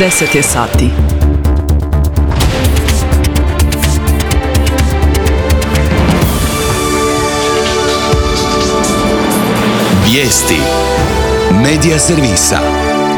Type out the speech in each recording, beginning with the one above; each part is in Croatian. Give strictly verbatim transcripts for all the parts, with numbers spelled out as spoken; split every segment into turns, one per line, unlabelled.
deset je sati.
Vijesti Medija servisa.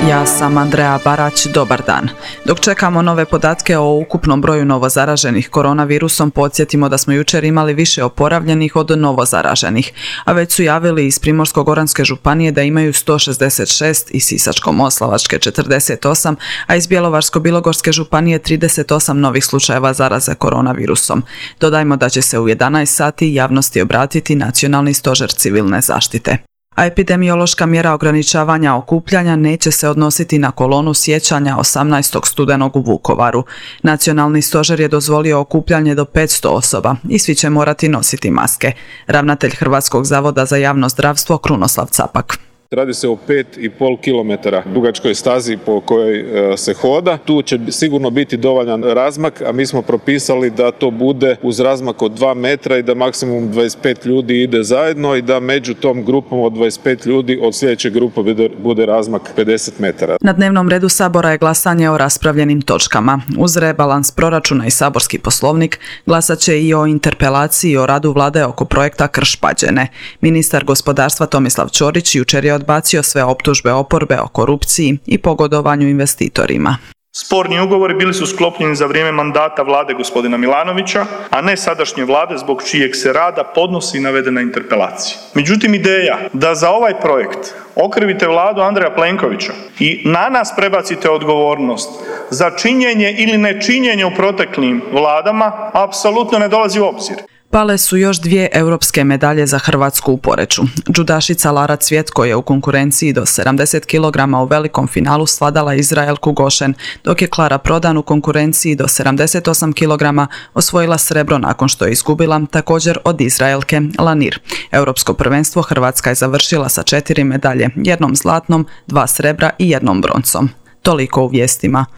Ja sam Andreja Barać, dobar dan. Dok čekamo nove podatke o ukupnom broju novozaraženih koronavirusom, podsjetimo da smo jučer imali više oporavljenih od novozaraženih, a već su javili iz Primorsko-goranske županije da imaju sto šezdeset šest, iz Sisačko-moslavačke četrdeset osam, a iz Bjelovarsko-bilogorske županije trideset osam novih slučajeva zaraze koronavirusom. Dodajmo da će se u jedanaest sati javnosti obratiti Nacionalni stožer civilne zaštite. A epidemiološka mjera ograničavanja okupljanja neće se odnositi na kolonu sjećanja osamnaestog studenog u Vukovaru. Nacionalni stožer je dozvolio okupljanje do petsto osoba i svi će morati nositi maske. Ravnatelj Hrvatskog zavoda za javno zdravstvo Krunoslav Capak.
Radi se o pet i pol kilometara dugačkoj stazi po kojoj se hoda. Tu će sigurno biti dovoljan razmak, a mi smo propisali da to bude uz razmak od dva metra i da maksimum dvadeset pet ljudi ide zajedno i da među tom grupom od dvadeset pet ljudi od sljedeće grupe bude razmak pedeset metara.
Na dnevnom redu Sabora je glasanje o raspravljenim točkama. Uz rebalans proračuna i saborski poslovnik glasat će i o interpelaciji o radu vlade oko projekta Krš-Pađene. Ministar gospodarstva Tomislav Ćorić jučer je odbacio sve optužbe oporbe o korupciji i pogodovanju investitorima.
Sporni ugovori bili su sklopljeni za vrijeme mandata vlade gospodina Milanovića, a ne sadašnje vlade zbog čijeg se rada podnosi navedena interpelacija. Međutim, ideja da za ovaj projekt okrivite vladu Andreja Plenkovića i na nas prebacite odgovornost za činjenje ili nečinjenje u proteklim vladama apsolutno ne dolazi u obzir.
Pale su još dvije europske medalje za Hrvatsku u Poreču. Džudašica Lara Cvjetko je u konkurenciji do sedamdeset kilograma u velikom finalu svladala Izraelku Gošen, dok je Klara Prodan u konkurenciji do sedamdeset osam kilograma osvojila srebro nakon što je izgubila također od Izraelke Lanir. Europsko prvenstvo Hrvatska je završila sa četiri medalje, jednom zlatnom, dva srebra i jednom broncom. Toliko u vijestima.